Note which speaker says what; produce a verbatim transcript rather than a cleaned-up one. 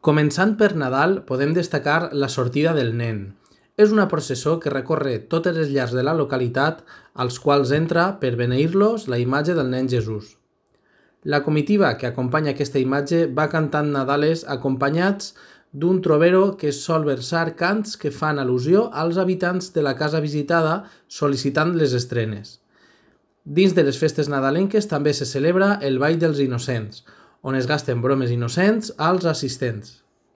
Speaker 1: Començant per Nadal, podem destacar la sortida del nen. És una processó que recorre totes les llars de la localitat, als quals entra, per beneir-los, la imatge del nen Jesús. La comitiva que acompanya aquesta imatge va cantant Nadales acompanyats d'un trovero que sol versar cants que fan al·lusió als habitants de la casa visitada sol·licitant les estrenes. Dins de les festes nadalenques també se celebra el Ball dels Innocents, on es gasten bromes innocents als assistents.